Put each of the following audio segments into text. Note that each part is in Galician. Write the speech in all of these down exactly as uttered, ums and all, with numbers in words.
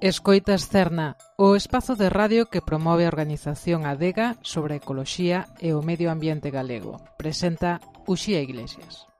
Escoitas Cerna, o espazo de radio que promove a organización Adega sobre a ecoloxía e o medio ambiente galego. Presenta Uxía Iglesias.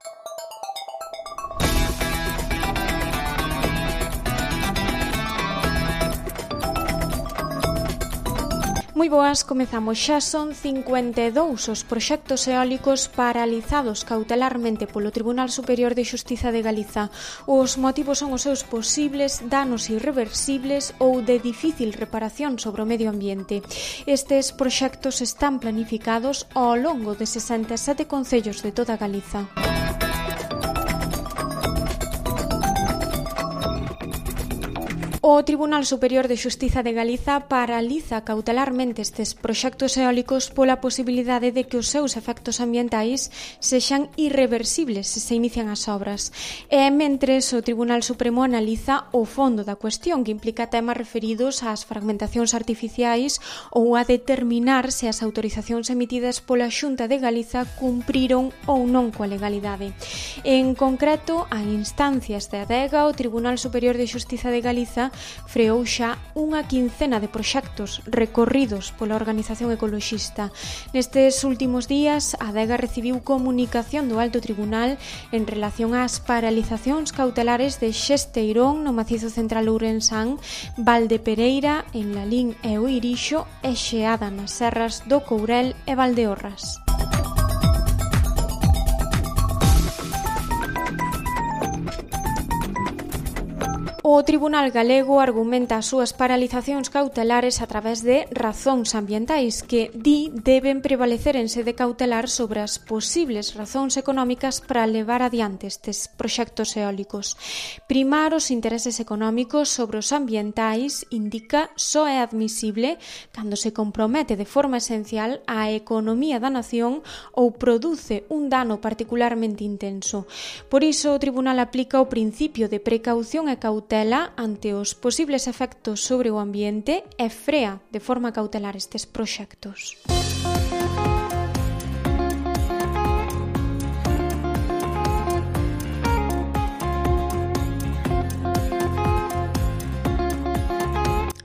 Moi boas, comezamos. Xa son cincuenta e dous os proxectos eólicos paralizados cautelarmente polo Tribunal Superior de Xustiza de Galiza. Os motivos son os seus posibles danos irreversibles ou de difícil reparación sobre o medio ambiente. Estes proxectos están planificados ao longo de sesenta e sete concellos de toda Galiza. O Tribunal Superior de Xustiza de Galiza paraliza cautelarmente estes proxectos eólicos pola posibilidade de que os seus efectos ambientais sexan irreversibles se se inician as obras. E mentres o Tribunal Supremo analiza o fondo da cuestión, que implica temas referidos ás fragmentacións artificiais ou a determinar se as autorizacións emitidas pola Xunta de Galiza cumpriron ou non coa legalidade. En concreto, a instancias de Adega, o Tribunal Superior de Xustiza de Galiza freou xa unha quincena de proxectos recorridos pola organización ecoloxista. Nestes últimos días, a Adega recibiu comunicación do Alto Tribunal en relación ás paralizacións cautelares de Xesteirón no Macizo Central Ourensán, Valdepereira, en Lalín e o Irixo e Xeada nas serras do Courel e Valdeorras. O Tribunal Galego argumenta as súas paralizacións cautelares a través de razóns ambientais que, di, deben prevalecer en sede cautelar sobre as posibles razóns económicas para levar adiante estes proxectos eólicos. Primar os intereses económicos sobre os ambientais, indica, só é admisible cando se compromete de forma esencial á economía da nación ou produce un dano particularmente intenso. Por iso, o Tribunal aplica o principio de precaución e cautela ante os posibles efectos sobre o ambiente e frea de forma cautelar estes proxectos.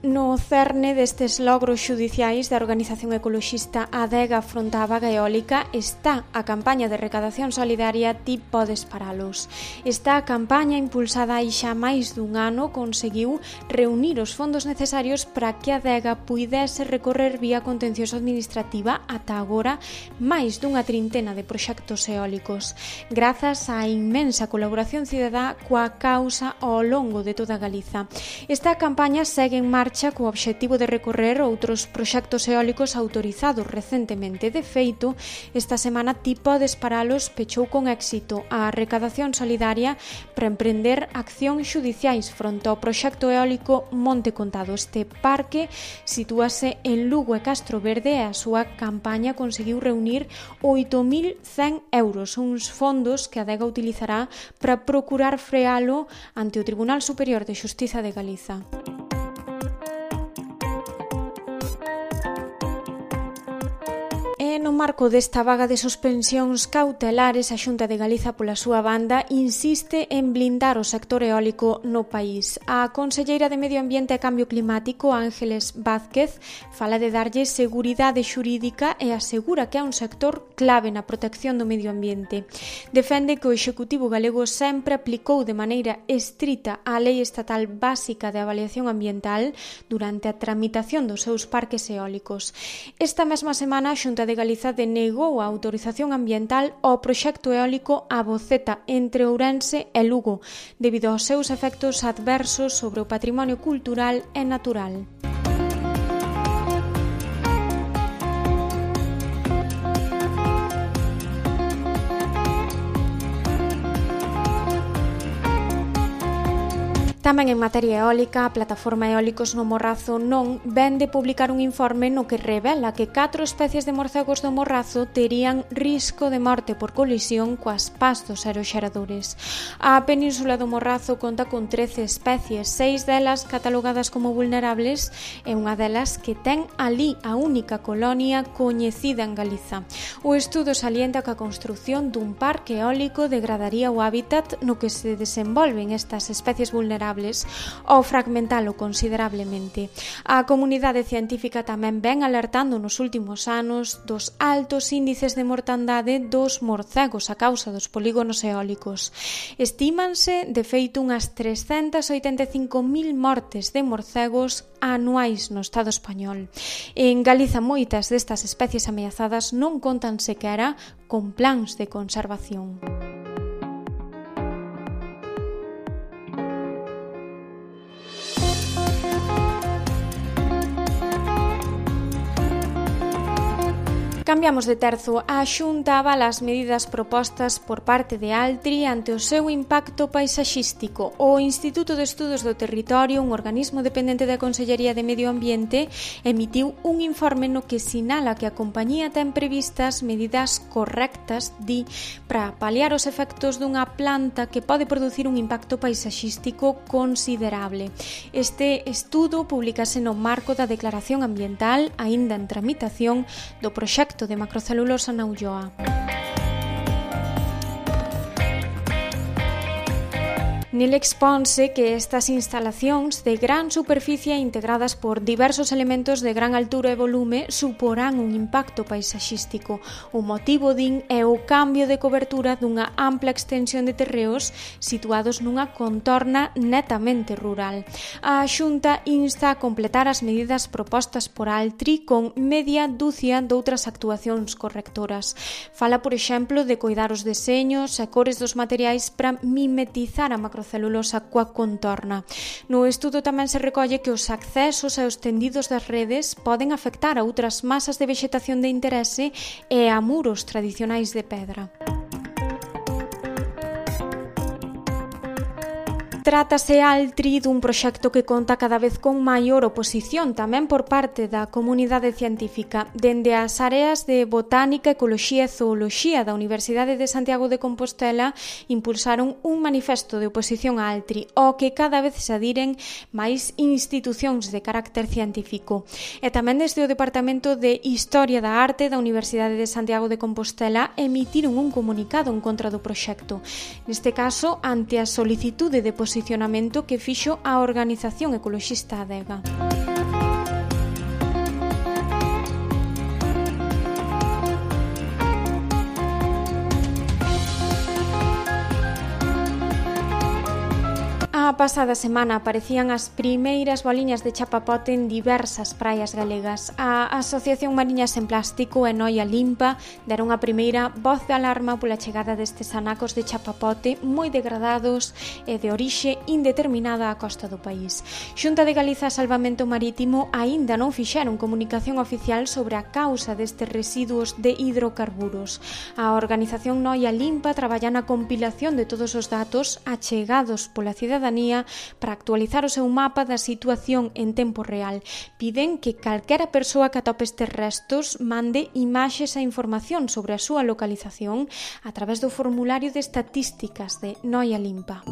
No cerne destes logros xudiciais da organización ecoloxista Adega fronte á vaga eólica está a campaña de recadación solidaria Ti podes paralos. Esta campaña, impulsada hai xa máis dun ano, conseguiu reunir os fondos necesarios para que Adega puidese recorrer vía contencioso administrativa ata agora máis dunha trintena de proxectos eólicos, grazas á inmensa colaboración cidadá coa causa ao longo de toda Galiza. Esta campaña segue en marcha co obxectivo de recorrer outros proxectos eólicos autorizados recentemente. De feito, esta semana Ti podes paralos pechou con éxito a recadación solidaria para emprender accións xudiciais fronte ao proxecto eólico Monte Contado. Este parque sitúase en Lugo e Castro Verde e a súa campaña conseguiu reunir oito mil cen euros, uns fondos que a Adega utilizará para procurar frealo ante o Tribunal Superior de Xustiza de Galiza. No marco desta vaga de suspensións cautelares, a Xunta de Galiza, pola súa banda, insiste en blindar o sector eólico no país. A conselleira de Medio Ambiente e Cambio Climático, Ángeles Vázquez, fala de darlle seguridade xurídica e asegura que é un sector clave na protección do medio ambiente. Defende que o Executivo galego sempre aplicou de maneira estrita a Lei Estatal Básica de Avaliación Ambiental durante a tramitación dos seus parques eólicos. Esta mesma semana, a Xunta de Galiza denegou a autorización ambiental ao proxecto eólico A Boceta entre Ourense e Lugo, debido aos seus efectos adversos sobre o patrimonio cultural e natural. Tamén en materia eólica, a Plataforma Eólicos no Morrazo non ven de publicar un informe no que revela que catro especies de morcegos do Morrazo terían risco de morte por colisión coas pas dos aeroxeradores. A Península do Morrazo conta con trece especies, seis delas catalogadas como vulnerables e unha delas que ten ali a única colonia coñecida en Galiza. O estudo salienta que a construción dun parque eólico degradaría o hábitat no que se desenvolven estas especies vulnerables ao fragmentalo considerablemente. A comunidade científica tamén ven alertando nos últimos anos dos altos índices de mortandade dos morcegos a causa dos polígonos eólicos. Estímanse, de feito, unhas trescentas oitenta e cinco mil mortes de morcegos anuais no Estado español. En Galiza, moitas destas especies ameazadas non contan sequera con plans de conservación. Cambiamos de terzo. A Xunta avala as medidas propostas por parte de Altri ante o seu impacto paisaxístico. O Instituto de Estudos do Territorio, un organismo dependente da Consellería de Medio Ambiente, emitiu un informe no que sinala que a compañía ten previstas medidas correctas, di, para paliar os efectos dunha planta que pode producir un impacto paisaxístico considerable. Este estudo publicase no marco da Declaración Ambiental, aínda en tramitación, do proxecto de macrocelulosa na Ulloa. Nele exponse que estas instalacións de gran superficie integradas por diversos elementos de gran altura e volume suporán un impacto paisaxístico. O motivo, din, é o cambio de cobertura dunha ampla extensión de terreos situados nunha contorna netamente rural. A Xunta insta a completar as medidas propostas por Altri con media dúcia doutras actuacións correctoras. Fala, por exemplo, de coidar os deseños e cores dos materiais para mimetizar a macrocelulosa celulosa coa contorna. No estudo tamén se recolle que os accesos e os tendidos das redes poden afectar a outras masas de vexetación de interese e a muros tradicionais de pedra. Trátase, Altri, dun proxecto que conta cada vez con maior oposición tamén por parte da comunidade científica. Dende as áreas de Botánica, Ecoloxía e Zooloxía da Universidade de Santiago de Compostela impulsaron un manifesto de oposición a Altri, ao que cada vez se adiren máis institucións de carácter científico. E tamén desde o Departamento de Historia da Arte da Universidade de Santiago de Compostela emitiron un comunicado en contra do proxecto. Neste caso, ante a solicitude de posición posicionamento que fixo a organización ecoloxista Adega. A pasada semana aparecían as primeiras boliñas de chapapote en diversas praias galegas. A Asociación Mariñas en Plástico e Noia Limpa deron a primeira voz de alarma pola chegada destes anacos de chapapote moi degradados e de orixe indeterminada á costa do país. Xunta de Galiza e Salvamento Marítimo aínda non fixeron comunicación oficial sobre a causa destes residuos de hidrocarburos. A organización Noia Limpa traballa na compilación de todos os datos achegados pola cidadanía para actualizar o seu mapa da situación en tempo real. Piden que calquera persoa que atope estes restos mande imaxes e información sobre a súa localización a través do formulario de estatísticas de Noia Limpa.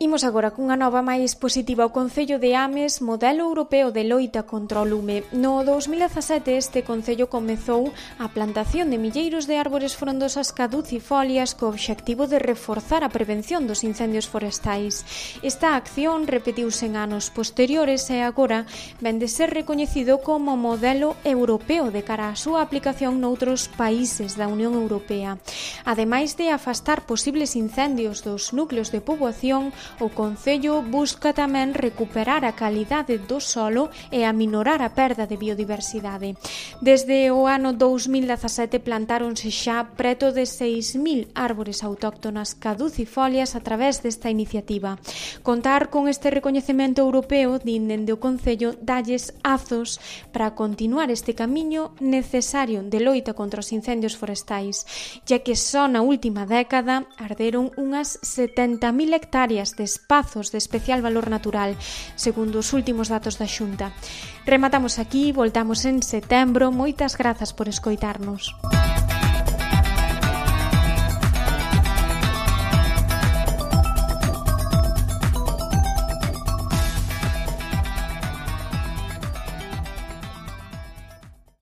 Imos agora cunha nova máis positiva. O Concello de Ames, modelo europeo de loita contra o lume. No dous mil dezasete este Concello comezou a plantación de milleiros de árbores frondosas caducifolias co obxectivo de reforzar a prevención dos incendios forestais. Esta acción repetiuse en anos posteriores e agora ven de ser recoñecido como modelo europeo de cara á súa aplicación noutros países da Unión Europea. Ademais de afastar posibles incendios dos núcleos de poboación, O Concello busca tamén recuperar a calidade do solo e aminorar a perda de biodiversidade. Desde o ano dous mil dezasete plantáronse xa preto de seis mil árbores autóctonas caducifolias a través desta iniciativa. Contar con este recoñecemento europeo, din dende o Concello, dalles azos para continuar este camiño necesario de loita contra os incendios forestais, ya que só na última década arderon unhas setenta mil hectáreas de espazos de especial valor natural, segundo os últimos datos da Xunta. Rematamos aquí, voltamos en setembro. Moitas grazas por escoitarnos.